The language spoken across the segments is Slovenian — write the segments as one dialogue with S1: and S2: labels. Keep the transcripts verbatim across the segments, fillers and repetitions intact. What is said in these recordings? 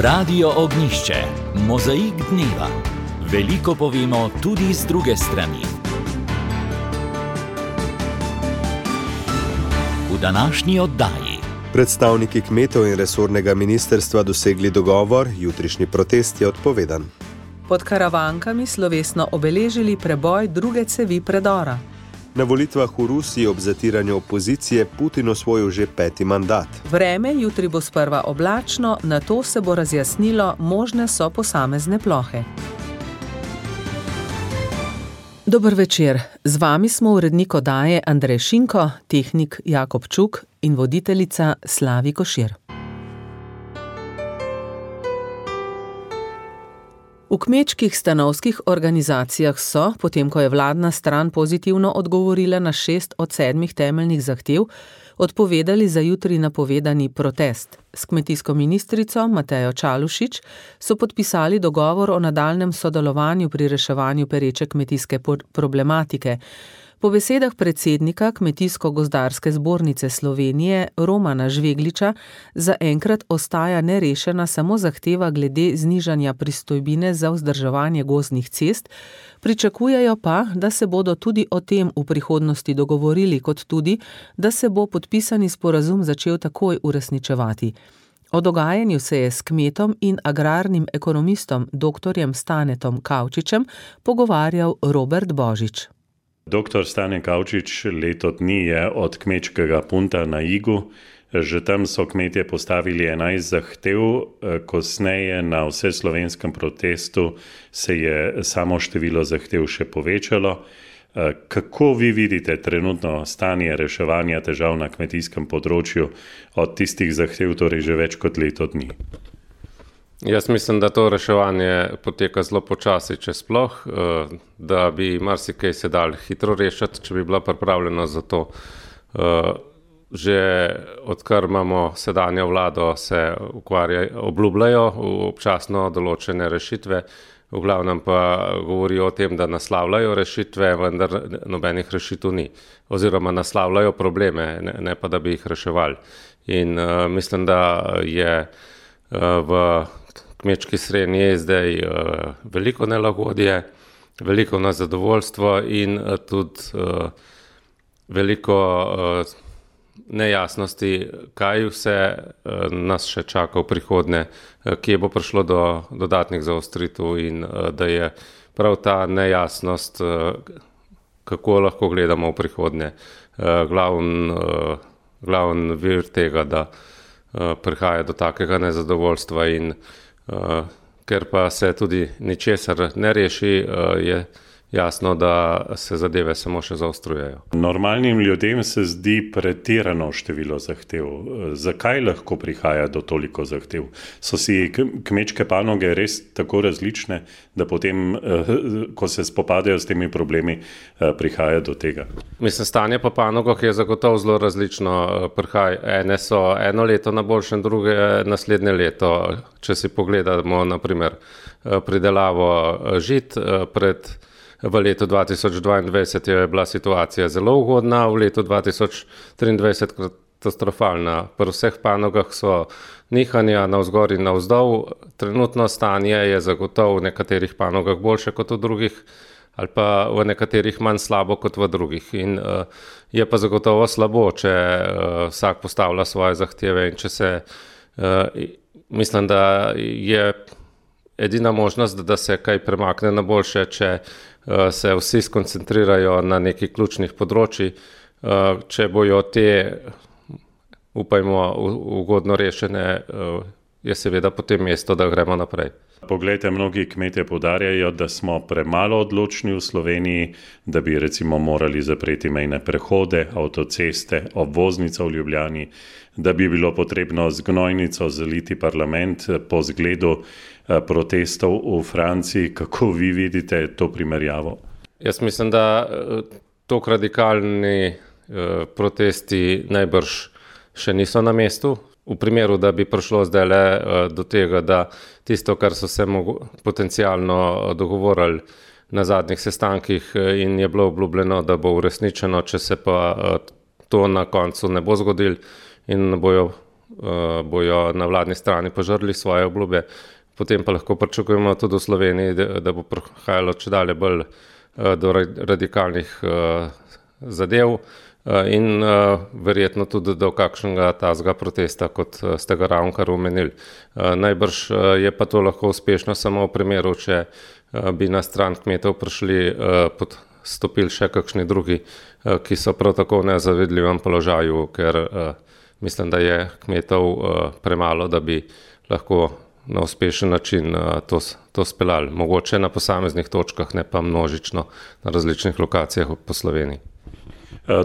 S1: Radio Ognjišče, mozaik dneva. Veliko povemo tudi z druge strani. V današnji oddaji.
S2: Predstavniki kmetov in resornega ministrstva dosegli dogovor, jutrišnji protest je odpovedan.
S3: Pod Karavankami slovesno obeležili preboj druge cevi predora.
S2: Na volitvah v Rusiji ob zatiranju opozicije Putin osvojil že peti mandat.
S3: Vreme jutri bo sprva oblačno, nato se bo razjasnilo, možne so posamezne plohe. Dober večer, z vami smo urednik oddaje Andrej Šinko, tehnik Jakob Čuk in voditeljica Slavi Košir. V kmečkih stanovskih organizacijah so, potem ko je vladna stran pozitivno odgovorila na šest od sedmih temeljnih zahtev, odpovedali za jutri napovedani protest. S kmetijsko ministrico Matejo Čalušić so podpisali dogovor o nadaljnjem sodelovanju pri reševanju pereče kmetijske problematike. Po besedah predsednika Kmetijsko-gozdarske zbornice Slovenije Romana Žvegliča zaenkrat ostaja nerešena samo zahteva glede znižanja pristojbine za vzdrževanje gozdnih cest, pričakujejo pa, da se bodo tudi o tem v prihodnosti dogovorili, kot tudi, da se bo podpisani sporazum začel takoj uresničevati. O dogajanju se je s kmetom in agrarnim ekonomistom doktorjem Stanetom Kavčičem pogovarjal Robert Božič.
S4: Doktor Stane Kavčič leto dni je od kmečkega punta na Igu. Že tam so kmetje postavili enajst zahtev, kasneje na vseslovenskem protestu se je samo število zahtev še povečalo. Kako vi vidite trenutno stanje reševanja težav na kmetijskem področju od tistih zahtev, torej že več kot leto dni?
S5: Jaz mislim, da to reševanje poteka zelo počasi, če sploh, da bi marsikaj se dal hitro rešiti, če bi bila pripravljena za to. Že odkar imamo sedanjo vlado, se ukvarjajo, obljubljajo občasno določene rešitve, v glavnem pa govorijo o tem, da naslavljajo rešitve, vendar nobenih rešitev ni. Oziroma naslavljajo probleme, ne, ne pa da bi jih reševali. In uh, mislim, da je uh, v kmečki srenji je zdaj uh, veliko nelagodje, veliko nezadovoljstvo in uh, tudi uh, veliko uh, nejasnosti, kaj vse uh, nas še čaka v prihodnje, uh, kje bo prišlo do dodatnih zaostritev in uh, da je prav ta nejasnost, uh, kako lahko gledamo v prihodnje, uh, glavn, uh, glavn vir tega, da uh, prihaja do takega nezadovoljstva in Uh, ker pa se tudi ničesar ne reši, uh, je jasno, da se zadeve samo še zaostrujejo.
S4: Normalnim ljudem se zdi pretirano število zahtev. Zakaj lahko prihaja do toliko zahtev? So si kmečke panoge res tako različne, da potem, ko se spopadajo s temi problemi, prihaja do tega?
S5: Mislim, stanje po panogah je zagotovo zelo različno. Prihaja, ene so eno leto na boljšem, druge naslednje leto. Če si pogledamo, na primer, pridelavo žit pred V letu dva tisoč dvaindvajset je bila situacija zelo ugodna, v letu dva tisoč triindvajset katastrofalna. Pri vseh panogah so nihanja navzgor in navzdol. Trenutno stanje je zagotovo v nekaterih panogah boljše kot v drugih, ali pa v nekaterih manj slabo kot v drugih. In uh, je pa zagotovo slabo, če uh, vsak postavlja svoje zahteve in če se, uh, mislim, da je edina možnost, da se kaj premakne na boljše, če se vsi skoncentrirajo na nekih ključnih področji. Če bojo te, upajmo, ugodno rešene, je seveda potem mesto, da gremo naprej.
S4: Poglejte, mnogi kmetje poudarjajo, da smo premalo odločni v Sloveniji, da bi recimo morali zapreti mejne prehode, avtoceste, obvoznico v Ljubljani, da bi bilo potrebno z gnojnico zaliti parlament po zgledu protestov v Franciji. Kako vi vidite to primerjavo?
S5: Jaz mislim, da tok radikalni protesti najbrž še niso na mestu. V primeru, da bi prišlo zdaj le do tega, da tisto, kar so se potencialno dogovorili na zadnjih sestankih in je bilo obljubljeno, da bo uresničeno, če se pa to na koncu ne bo zgodilo in bojo bojo na vladni strani požrli svoje obljube, potem pa lahko pričakujemo tudi v Sloveniji, da, da bo prihajalo čedalje bolj do radikalnih zadev in verjetno tudi do kakšnega tazga protesta, kot ste ga ravnokar omenili. Najbrž je pa to lahko uspešno samo v primeru, če bi na stran kmetov prišli pod stopili še kakšni drugi, ki so prav tako v nezavidljivem položaju, ker mislim, da je kmetov premalo, da bi lahko na uspešen način to, to speljali. Mogoče na posameznih točkah, ne pa množično na različnih lokacijah po Sloveniji.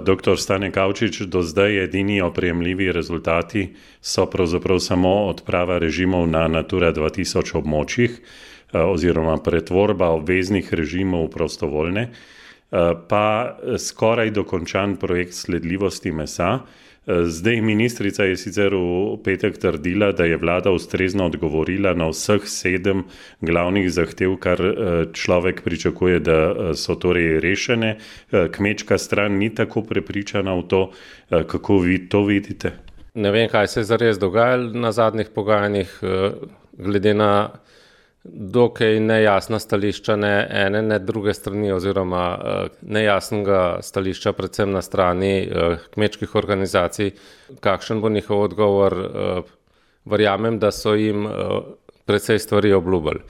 S4: Doktor Stane Kavčič, do zdaj edini oprijemljivi rezultati so pravzaprav samo odprava režimov na Natura dva tisoč območjih oziroma pretvorba obveznih režimov v prostovoljne, pa skoraj dokončan projekt sledljivosti mesa. Zdaj ministrica je sicer v petek trdila, da je vlada ustrezno odgovorila na vseh sedem glavnih zahtev, kar človek pričakuje, da so torej rešene. Kmečka stran ni tako prepričana v to. Kako vi to vidite?
S5: Ne vem, kaj se je zares dogajalo na zadnjih pogajanjih, glede na dokaj nejasna stališča ne ene, ne druge strani oziroma nejasnega stališča predvsem na strani kmečkih organizacij. Kakšen bo njihov odgovor? Verjamem, da so jim precej stvari obljubili.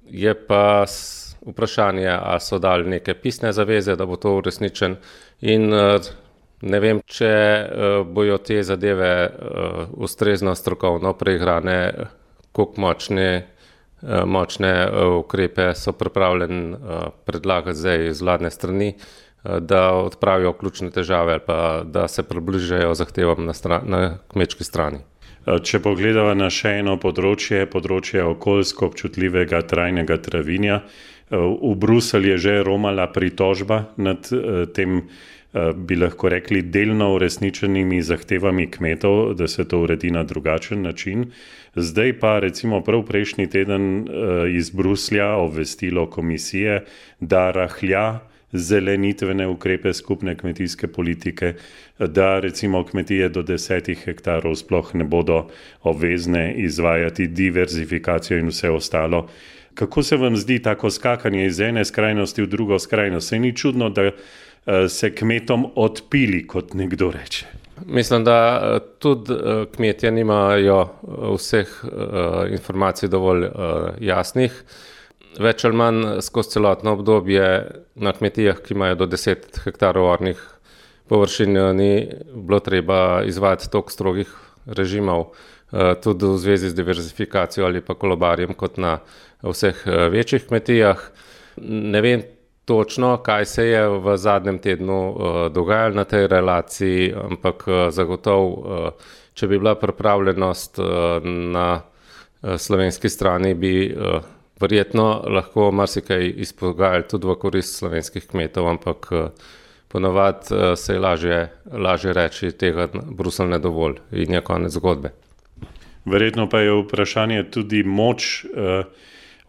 S5: Je pa vprašanje, a so dali neke pisne zaveze, da bo to uresničen, in ne vem, če bojo te zadeve ustrezno strokovno preigrane, koliko močne močne ukrepe so pripravljeni predlagati zdaj z vladne strani, da odpravijo ključne težave ali pa da se približajo zahtevam na, stran, na kmečki strani.
S4: Če pogledava na še eno področje, področje okoljsko občutljivega trajnega travinja, v Bruselj je že romala pritožba nad tem, bi lahko rekli, delno uresničenimi zahtevami kmetov, da se to uredi na drugačen način. Zdaj pa recimo prav prejšnji teden iz Bruslja obvestilo komisije, da rahlja zelenitvene ukrepe skupne kmetijske politike, da recimo kmetije do desetih hektarov sploh ne bodo obvezne izvajati diverzifikacijo in vse ostalo. Kako se vam zdi tako skakanje iz ene skrajnosti v drugo skrajnost? Se ni čudno, da se kmetom odpili, kot nekdo reče?
S5: Mislim, da tudi kmetje nimajo vseh informacij dovolj jasnih. Več ali manj skozi celotno obdobje na kmetijah, ki imajo do deset hektarov ornih površin, ni bilo treba izvajati toliko strogih režimov, tudi v zvezi z diverzifikacijo ali pa kolobarjem, kot na vseh večjih kmetijah. Ne vem točno, kaj se je v zadnjem tednu dogajalo na tej relaciji, ampak zagotovo, če bi bila pripravljenost na slovenski strani, bi verjetno lahko marsikaj izpogajali tudi v korist slovenskih kmetov, ampak ponavadi se je lažje, lažje reči, tega Bruselj ne dovolj in je konec zgodbe.
S4: Verjetno pa je vprašanje tudi moč eh,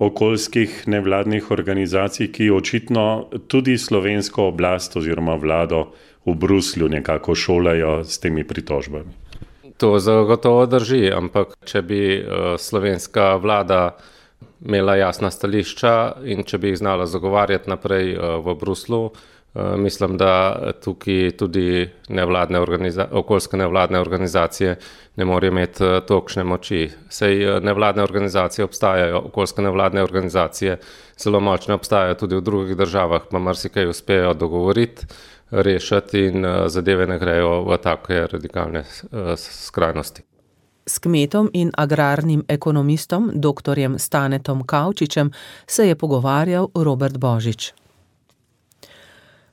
S4: okoljskih nevladnih organizacij, ki očitno tudi slovensko oblast oziroma vlado v Bruslju nekako šolajo s temi pritožbami.
S5: To zagotovo drži, ampak če bi uh, slovenska vlada imela jasna stališča in če bi jih znala zagovarjati naprej uh, v Bruslu, uh, mislim, da tukaj tudi nevladne organiza- okoljske nevladne organizacije ne morejo imeti uh, tolikšne moči. Sej uh, nevladne organizacije obstajajo, okoljske nevladne organizacije zelo močne obstajajo tudi v drugih državah, pa marsikaj uspejo dogovoriti, rešiti in uh, zadeve ne grejo v take radikalne uh, skrajnosti.
S3: S kmetom in agrarnim ekonomistom, doktorjem Stanetom Kavčičem, se je pogovarjal Robert Božič.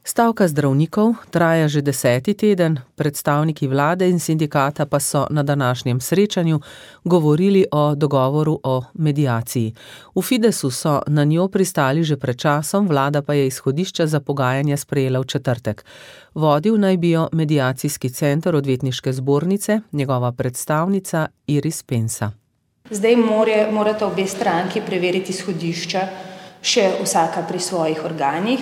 S3: Stavka zdravnikov traja že deseti teden, predstavniki vlade in sindikata pa so na današnjem srečanju govorili o dogovoru o mediaciji. V Fidesu so na njo pristali že pred časom, vlada pa je izhodišča za pogajanja sprejela v četrtek. Vodil naj bi jo mediacijski center odvetniške zbornice, njegova predstavnica Iris Pensa.
S6: Zdaj more, morata obe stranki preveriti izhodišča še vsaka pri svojih organih.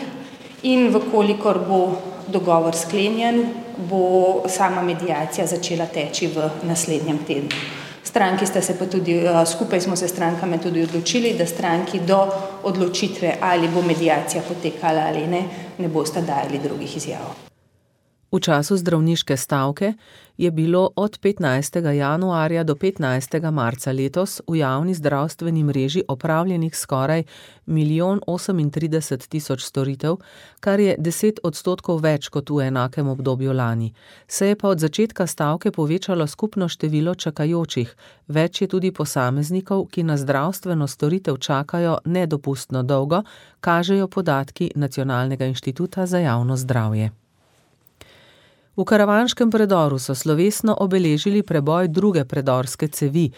S6: In vkolikor bo dogovor sklenjen, bo sama mediacija začela teči v naslednjem tednu. Stranki sta se pa tudi, skupaj smo se strankami tudi odločili, da stranki do odločitve, ali bo mediacija potekala ali ne, ne bosta dajali drugih izjav.
S3: V času zdravniške stavke je bilo od petnajstega januarja do petnajstega marca letos v javni zdravstveni mreži opravljenih skoraj milijon osemintrideset tisoč storitev, kar je deset odstotkov več kot v enakem obdobju lani. Se je pa od začetka stavke povečalo skupno število čakajočih, več je tudi posameznikov, ki na zdravstveno storitev čakajo nedopustno dolgo, kažejo podatki Nacionalnega inštituta za javno zdravje. V Karavanškem predoru so slovesno obeležili preboj druge predorske cevi.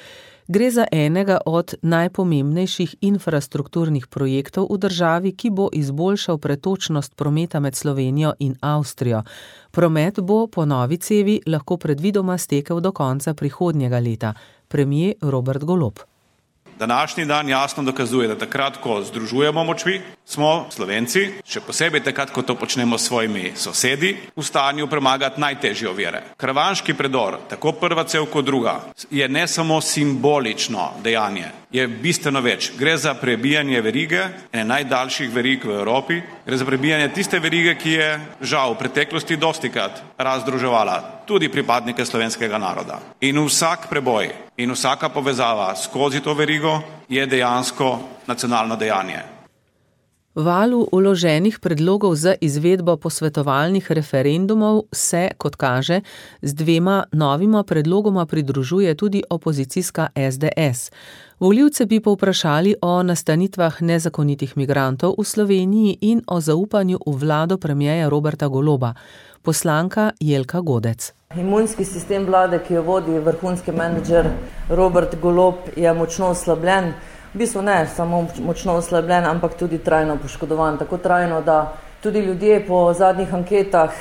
S3: Gre za enega od najpomembnejših infrastrukturnih projektov v državi, ki bo izboljšal pretočnost prometa med Slovenijo in Avstrijo. Promet bo po novi cevi lahko predvidoma stekel do konca prihodnjega leta. Premier Robert Golob.
S7: Današnji dan jasno dokazuje, da takrat, ko združujemo močvi, smo Slovenci, še posebej takrat, ko to počnemo s svojimi sosedi, v stanju premagati najtežje ovire. Karavanški predor, tako prva cev kot druga, je ne samo simbolično dejanje, je bistveno več. Gre za prebijanje verige, ene najdaljših verig v Evropi, gre za prebijanje tiste verige, ki je žal v preteklosti dostikrat razdruževala tudi pripadnike slovenskega naroda. In vsak preboj in vsaka povezava skozi to verigo je dejansko nacionalno dejanje.
S3: Valu vloženih predlogov za izvedbo posvetovalnih referendumov se, kot kaže, z dvema novima predlogoma pridružuje tudi opozicijska es de es. Volivce bi povprašali o nastanitvah nezakonitih migrantov v Sloveniji in o zaupanju v vlado premierja Roberta Goloba. Poslanka Jelka Godec.
S8: Imunski sistem vlade, ki jo vodi vrhunski menedžer Robert Golob, je močno oslabljen. V bistvu ne samo močno oslabljen, ampak tudi trajno poškodovan. Tako trajno, da tudi ljudje po zadnjih anketah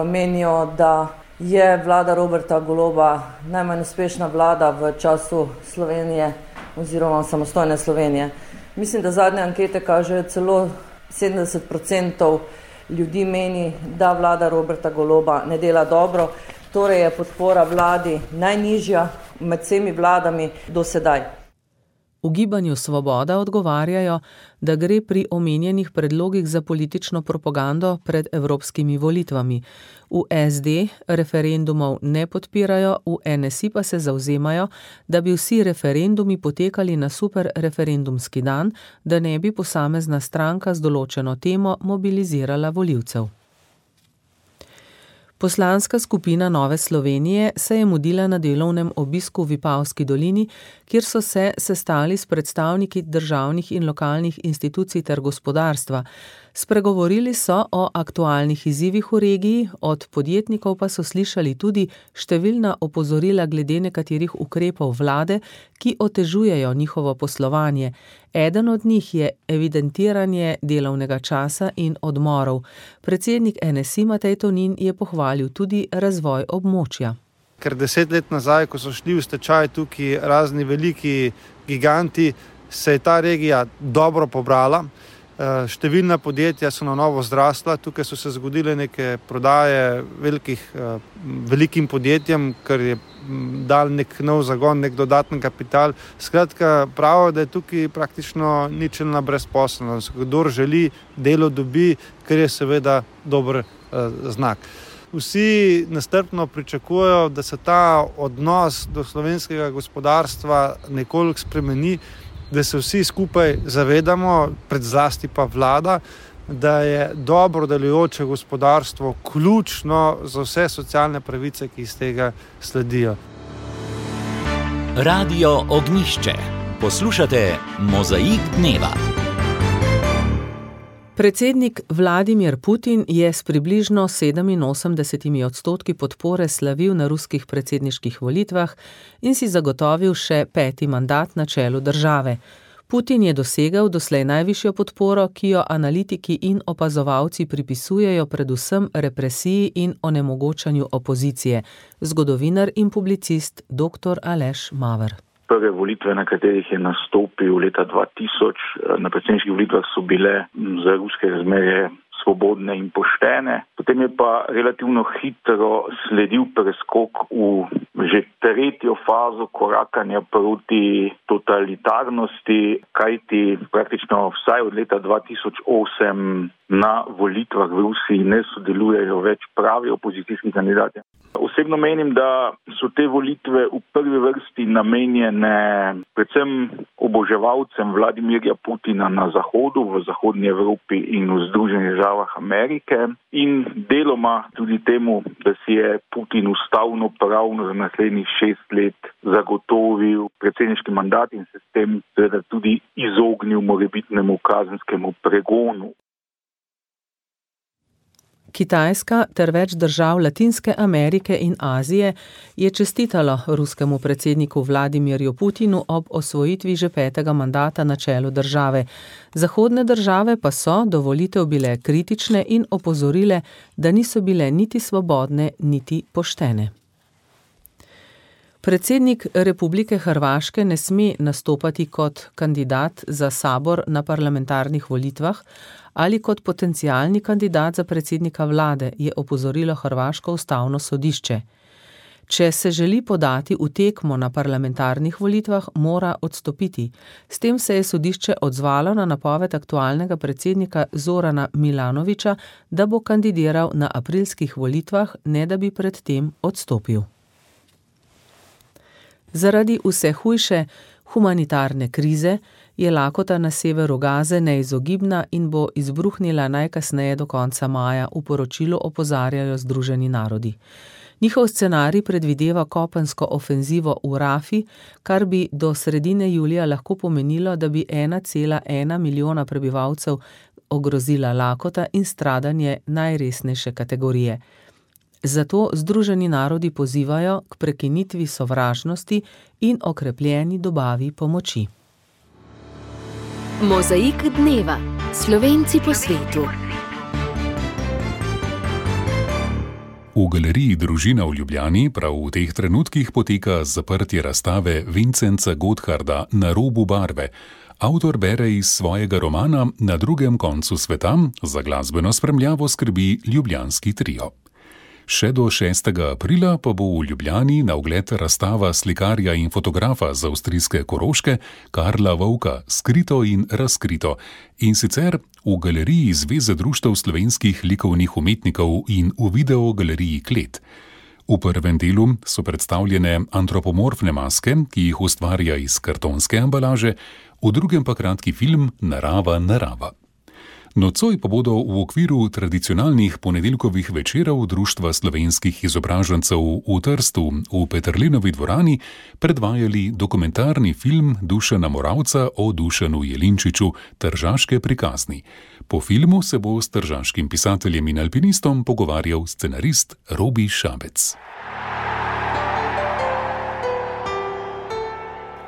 S8: menijo, da je vlada Roberta Goloba najmanj uspešna vlada v času Slovenije oziroma samostojne Slovenije. Mislim, da zadnje ankete kažejo celo sedemdeset procentov ljudi meni, da vlada Roberta Goloba ne dela dobro, torej je podpora vladi najnižja med vsemi vladami do sedaj.
S3: V Gibanju Svoboda odgovarjajo, da gre pri omenjenih predlogih za politično propagando pred evropskimi volitvami. V es de referendumov ne podpirajo, v en es i pa se zavzemajo, da bi vsi referendumi potekali na super referendumski dan, da ne bi posamezna stranka z določeno temo mobilizirala volivcev. Poslanska skupina Nove Slovenije se je mudila na delovnem obisku v Vipavski dolini, kjer so se sestali s predstavniki državnih in lokalnih institucij ter gospodarstva. Spregovorili so o aktualnih izzivih v regiji, od podjetnikov pa so slišali tudi številna opozorila glede nekaterih ukrepov vlade, ki otežujejo njihovo poslovanje. Eden od njih je evidentiranje delovnega časa in odmorov. Predsednik en es i Matej Tonin je pohvalil tudi razvoj območja.
S9: Ker deset let nazaj, ko so šli v stečaj tukaj razni veliki giganti, se je ta regija dobro pobrala. Številna podjetja so na novo zrasla, tukaj so se zgodile neke prodaje velikih, velikim podjetjem, kar je dal nek nov zagon, nek dodaten kapital. Skratka, pravijo, da je tukaj praktično ničelna brezposelnost. Kdor želi, delo dobi, kar je seveda dober znak. Vsi nestrpno pričakujejo, da se ta odnos do slovenskega gospodarstva nekoliko spremeni, da se vsi skupaj zavedamo, predzlasti pa vlada, da je dobro delujoče gospodarstvo ključno za vse socialne pravice, ki iz tega sledijo.
S1: Radio Ognjišče. Poslušate Mozaik dneva.
S3: Predsednik Vladimir Putin je s približno sedeminosemdesetimi odstotki podpore slavil na ruskih predsedniških volitvah in si zagotovil še peti mandat na čelu države. Putin je dosegel doslej najvišjo podporo, ki jo analitiki in opazovalci pripisujejo predvsem represiji in onemogočanju opozicije. Zgodovinar in publicist doktor Aleš Maver.
S10: Prve volitve, na katerih je nastopil leta dva tisoč, na predsedniških volitvah so bile za ruske razmerje svobodne in poštene. Potem je pa relativno hitro sledil preskok v že tretjo fazo korakanja proti totalitarnosti, kajti praktično vsaj od leta dva tisoč osem na volitvah v Rusiji ne sodelujejo več pravi opozicijski kandidati. Osebno menim, da so te volitve v prvi vrsti namenjene predvsem oboževalcem Vladimirja Putina na Zahodu, v Zahodnji Evropi in v Združenih državah Amerike in deloma tudi temu, da si je Putin ustavno pravno za naslednjih šest let zagotovil predsedniški mandat in se s tem seveda tudi izognil morebitnemu kazenskemu pregonu.
S3: Kitajska ter več držav Latinske Amerike in Azije je čestitalo ruskemu predsedniku Vladimirju Putinu ob osvojitvi že petega mandata na čelu države. Zahodne države pa so do volitev bile kritične in opozorile, da niso bile niti svobodne, niti poštene. Predsednik Republike Hrvaške ne sme nastopati kot kandidat za sabor na parlamentarnih volitvah ali kot potencialni kandidat za predsednika vlade, je opozorilo hrvaško ustavno sodišče. Če se želi podati v tekmo na parlamentarnih volitvah, mora odstopiti. S tem se je sodišče odzvalo na napoved aktualnega predsednika Zorana Milanovića, da bo kandidiral na aprilskih volitvah, ne da bi pred tem odstopil. Zaradi vse hujše humanitarne krize je lakota na severu Gaze neizogibna in bo izbruhnila najkasneje do konca maja, v poročilu opozarjajo Združeni narodi. Njihov scenarij predvideva kopensko ofenzivo v Rafi, kar bi do sredine julija lahko pomenilo, da bi ena cela ena milijona prebivalcev ogrozila lakota in stradanje najresnejše kategorije. Zato Združeni narodi pozivajo k prekinitvi sovražnosti in okrepljeni dobavi pomoči.
S11: Mozaik dneva. Slovenci po svetu.
S12: V galeriji Družina v Ljubljani prav v teh trenutkih poteka zaprtje razstave Vincenza Gottharda Na robu barve. Avtor bere iz svojega romana Na drugem koncu sveta, za glasbeno spremljavo skrbi ljubljanski trio. Še do šestega aprila pa bo v Ljubljani na ogled razstava slikarja in fotografa z avstrijske Koroške Karla Vovka Skrito in razkrito, in sicer v galeriji Zveze društev slovenskih likovnih umetnikov in v videogaleriji Klet. V prvem delu so predstavljene antropomorfne maske, ki jih ustvarja iz kartonske embalaže, v drugem pa kratki film Narava, narava. Nocoj pa bodo v okviru tradicionalnih ponedeljkovih večerov Društva slovenskih izobražencev v Trstu v Peterlinovi dvorani predvajali dokumentarni film Dušana Moravca o Dušanu Jelinčiču Tržaške prikazni. Po filmu se bo s tržaškim pisateljem in alpinistom pogovarjal scenarist Robi Šabec.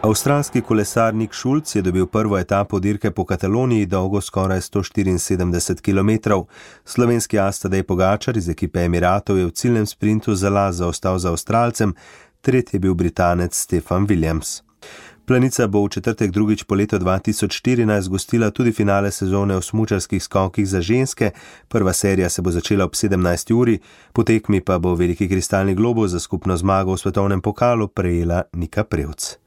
S2: Avstralski kolesar Nick Schulz je dobil prvo etapo dirke po Kataloniji, dolgo skoraj sto štiriinsedemdeset kilometrov. Slovenski as Tadej Pogačar iz ekipe Emiratov je v ciljnem sprintu za las zaostal za Avstralcem, tretji je bil Britanec Stefan Williams. Planica bo v četrtek drugič po letu dva tisoč štirinajst gostila tudi finale sezone v smučarskih skokih za ženske. Prva serija se bo začela ob sedemnajsti uri, po tekmi pa bo veliki kristalni globus za skupno zmago v svetovnem pokalu prejela Nika Prevc.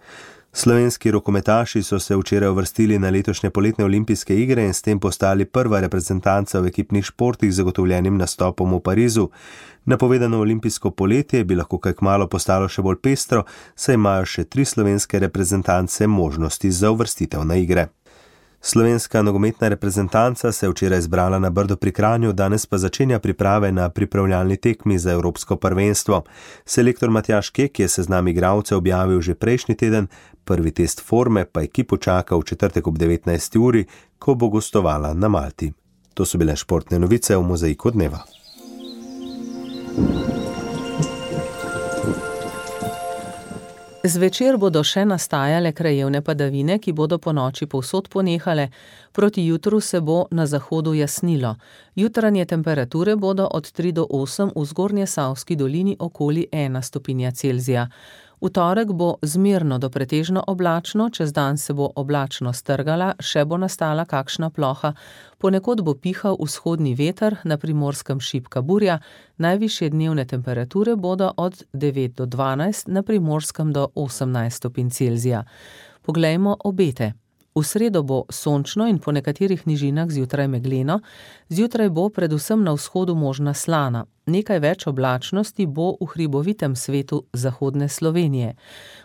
S2: Slovenski rokometaši so se včeraj uvrstili na letošnje poletne olimpijske igre in s tem postali prva reprezentanca v ekipnih športih z zagotovljenim nastopom v Parizu. Napovedano olimpijsko poletje bi lahko kaj kmalu postalo še bolj pestro, saj imajo še tri slovenske reprezentance možnosti za uvrstitev na igre. Slovenska nogometna reprezentanca se je včeraj zbrala na Brdu pri Kranju, danes pa začenja priprave na pripravljalni tekmi za evropsko prvenstvo. Selektor Matjaž Kek je seznam igralcev objavil že prejšnji teden, prvi test forme pa ekipo čaka v četrtek ob devetnajsti uri, ko bo gostovala na Malti. To so bile športne novice v Mozaiku dneva.
S3: Zvečer bodo še nastajale krajevne padavine, ki bodo po noči povsod ponehale, proti jutru se bo na zahodu jasnilo. Jutranje temperature bodo od tri do osem, v Zgornjesavski dolini okoli ena stopinja Celzija. V torek bo zmerno do pretežno oblačno, čez dan se bo oblačno strgala, še bo nastala kakšna ploha, ponekod bo pihal vzhodni veter, na Primorskem šibka burja, najvišje dnevne temperature bodo od devet do dvanajst, na Primorskem do osemnajst stopinj Celzija. Poglejmo obete. V sredo bo sončno in po nekaterih nižinah zjutraj megleno, zjutraj bo predvsem na vzhodu možna slana. Nekaj več oblačnosti bo v hribovitem svetu zahodne Slovenije.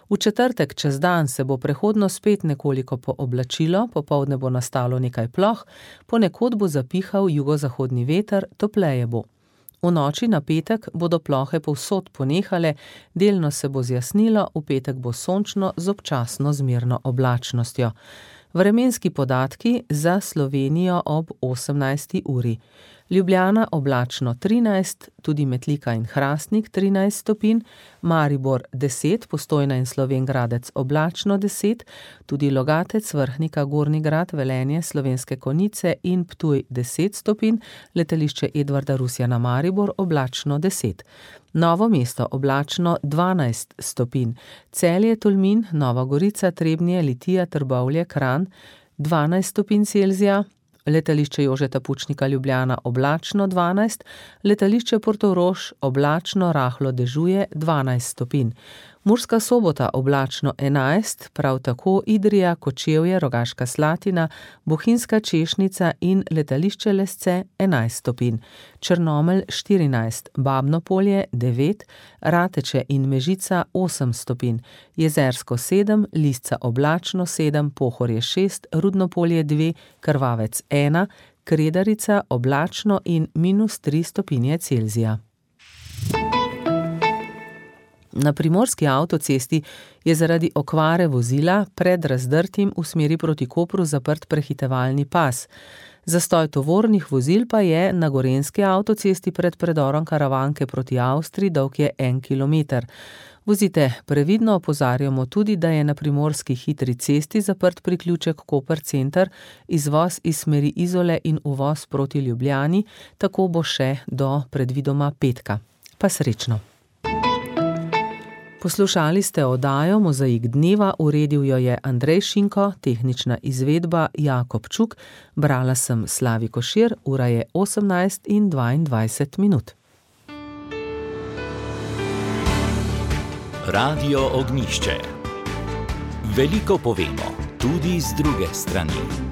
S3: V četrtek čez dan se bo prehodno spet nekoliko pooblačilo, popoldne bo nastalo nekaj ploh, ponekod bo zapihal jugozahodni veter, topleje bo. V noči na petek bodo plohe povsod ponehale, delno se bo zjasnilo, v petek bo sončno z občasno zmerno oblačnostjo. Vremenski podatki za Slovenijo ob osemnajsti uri. Ljubljana oblačno trinajst, tudi Metlika in Hrastnik trinajst stopinj, Maribor deset, Postojna in Slovenj Gradec oblačno deset, tudi Logatec, Vrhnika, Gornji Grad, Velenje, Slovenske Konjice in Ptuj deset stopinj, letališče Edvarda Rusjana Maribor oblačno deset. Novo mesto oblačno dvanajst stopinj, Celje, Tolmin, Nova Gorica, Trebnje, Litija, Trbovlje, Kranj dvanajst stopinj Celzija, letališče Jožeta Pučnika Ljubljana oblačno dvanajst, letališče Portorož oblačno rahlo dežuje dvanajst stopinj. Murska Sobota oblačno enajst, prav tako Idrija, Kočevje, Rogaška Slatina, Bohinjska Češnica in letališče Lesce enajst stopinj. Črnomelj štirinajst, Babno Polje devet, Rateče in Mežica osem stopinj. Jezersko sedem, Lisca oblačno sedem, Pohorje šest, Rudno Polje dve, Krvavec ena, Kredarica oblačno in minus tri stopinje Celzija. Na primorski avtocesti je zaradi okvare vozila pred Razdrtim v smeri proti Kopru zaprt prehitevalni pas. Zastoj tovornih vozil pa je na gorenjski avtocesti pred predorom Karavanke proti Avstriji, dolg je en kilometer. Vozite previdno, opozarjamo tudi, da je na primorski hitri cesti zaprt priključek Koper center, izvoz iz smeri Izole in uvoz proti Ljubljani, tako bo še do predvidoma petka. Pa srečno! Poslušali ste oddajo Mozaik dneva, uredil jo je Andrej Šinko, tehnična izvedba Jakob Čuk, brala sem Slavi Košir, ura je osemnajst in dvaindvajset minut.
S1: Radio Ognjišče. Veliko povemo, tudi z druge strani.